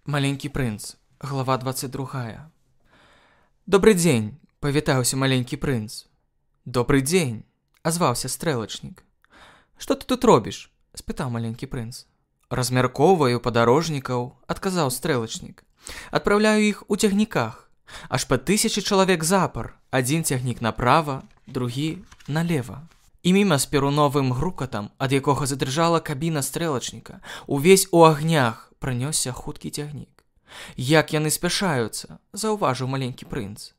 Маленькі прынц, глава 22. «Добрый дзень!» – павітаўся маленькі прынц. «Добрый дзень!» – азваўся стрэлачнік. «Што ты тут робіш?» – спытаў маленькі прынц. «Размяркоўваю падарожнікаў», – адказаў стрэлачнік. «Адпраўляю іх у цягніках. Аж па 1000 чалавек запар. Адзін цягнік направа, другі налева». І міма з перуновым грукатам, ад якога задрыжала кабіна стрэлачніка, увесь у агнях пранёсся хуткі цягнік. «Як яны спяшаюцца!» – заўважыў маленькі прынц.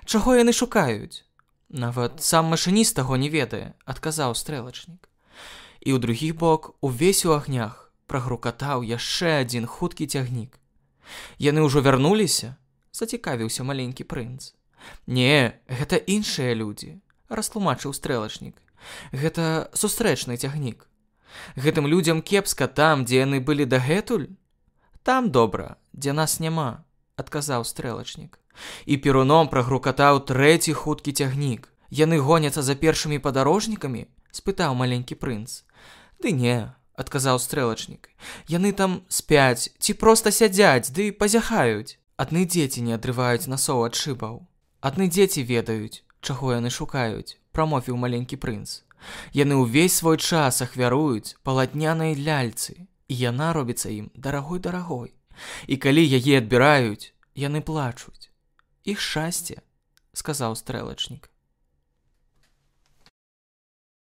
«Чаго яны шукаюць?» «Нават сам машыніст таго не ведае», – адказаў стрэлачнік. І ў другі бок, увесь у агнях, прагрукатаў яшчэ адзін хуткі цягнік. «Яны ўжо вярнуліся?» – зацікавіўся маленькі прынц. «Не, гэта іншыя людзі», – растлумачыў стрэлачнік. «Гэта сустрэчны цягнік. Гэтым людзям кепска там, дзе яны былі дагэтуль?» «Там добра, дзе нас няма», – адказаў стрэлачнік. І перуном прагрукатаў трэці хуткі цягнік. «Яны гоняцца за першымі падарожнікамі?» – спытаў маленькі прынц. «Ды не», – адказаў стрэлачнік. «Яны там спяць ці проста сядзяць ды пазяхаюць. Адны дзеці не адрываюць насоў ад шыбаў. Адны дзеці ведаюць, чаго яны шукаюць», – прамовіў маленькі прынц. «Яны ўвесь свой час ахвяруюць палатнянай ляльцы, і яна робіцца ім дарагой-дарагой. І калі яе адбіраюць, яны плачуць. Іх шчасце», – сказаў стрэлачнік.